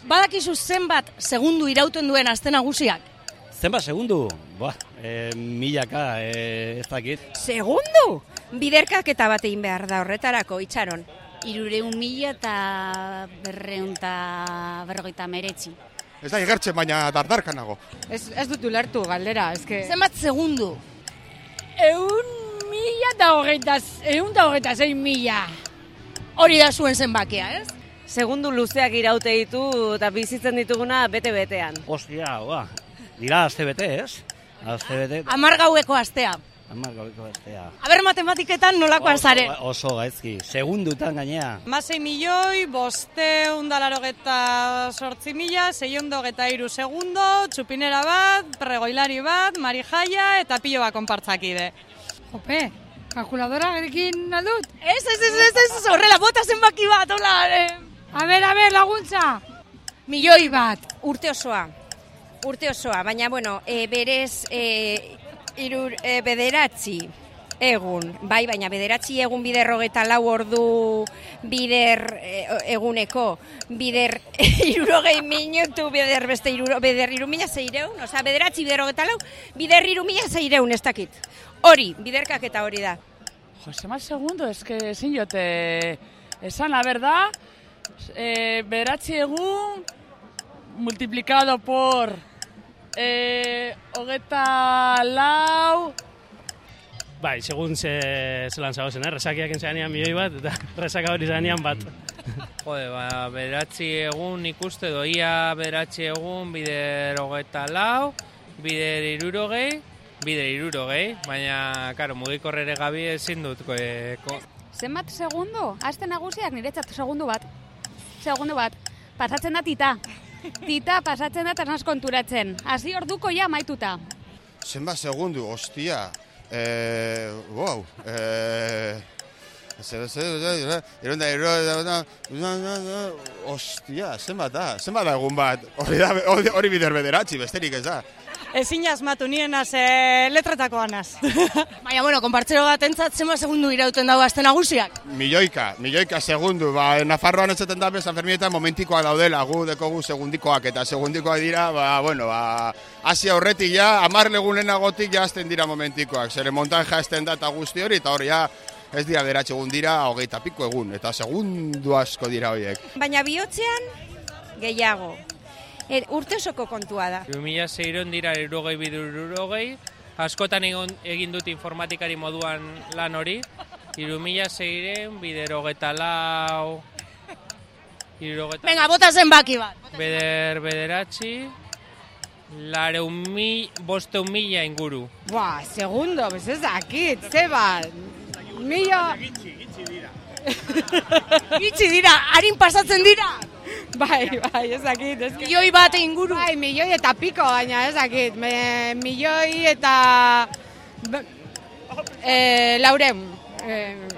Badakizu zenbat segundu irauten duen aste nagusiak? Zenbat segundu? Milaka, ez dakit. Segundu? Biderkaketa bat egin behar da horretarako, Itxaron. 300.000 Ez da igertzen, baina dardarka nago. Ez dut ulertu galdera, eske... Zenbat segundu? 126.000. Hori da zuen zenbakia, ez? Segundu luzeak iraute ditu eta bizitzen dituguna bete-betean. Ostia, dira aste bete, ez? Aste bete. 10 gaueko astea. 10 gaueko astea. Aber matematiketan nolakoan zare? Oso gaizki, segundutan gainea. 6.588.623 segundo, txupinera bat, pregoilari bat, marijaia eta pilo bat konpartzakide. Jope, kalkuladora gerekin aldut? Ez, horrela, bota zenbaki bat, hola. A ber, laguntza. Milioi bat. Urte osoa, baina, bueno, berez bederatzi egun, bai, baina bederatzi egun bider 24 ordu bider eguneko, bider 60 minutu, bider beste bider 3.600, oza, bederatzi bider 24, bider 3.600, ez dakit. Hori, biderkaketa hori da. Jose, más segundo, es que ezin jote esan, la verdad, bederatzi egun multiplicado por 24. Bai, segun zelan zagozen, resakiak entzeanean milioi bat, eta resaka hori zanean bat. Jode, bederatzi egun ikuste doia, bederatzi egun bider 24, bider 60, baina, karo, mugikorrere gabi ezin dut. Zenbat segundo? Aste nagusiak niretzat segundu bat. Pasatzen da tita. Tita pasatzen da tanaz konturatzen. Hasi orduko ja maituta. Zenbat segundu, ostia. Wow. Ostia, zenbat da egun bat. Hori bider bederatzi, besterik ez da. Ezin asmatu nienaz letretakoanaz. Baina, bueno, konpartzero bat entzat, zenbat segundu irauten dago aste nagusiak? Milioika segundu. Nafarroan ez zaten da, San Fermietan momentikoak daudela, gu dekogu segundikoak, eta segundikoak dira, hasi aurretik ja, 10 legunenagotik ja azten dira momentikoak. Zere montaja azten da eta guzti hori, eta hori ja, ez dira bederatzi egun dira, 20 piko egun, eta segundu asko dira horiek. Baina bihotzean, gehiago. Urte osoko kontua da. 2006 dira 60, askotan egin dut informatikari moduan lan hori, 2006 bider 24, Venga, bota zenbaki bat. bederatzi, 500.000 inguru. Segundo, ez dakit, zeba. Gitzi dira, harin pasatzen dira. Bai, ez dakit. Milioi bat inguru. Bai, milioi eta piko, baina ez dakit. Milioi eta... 400.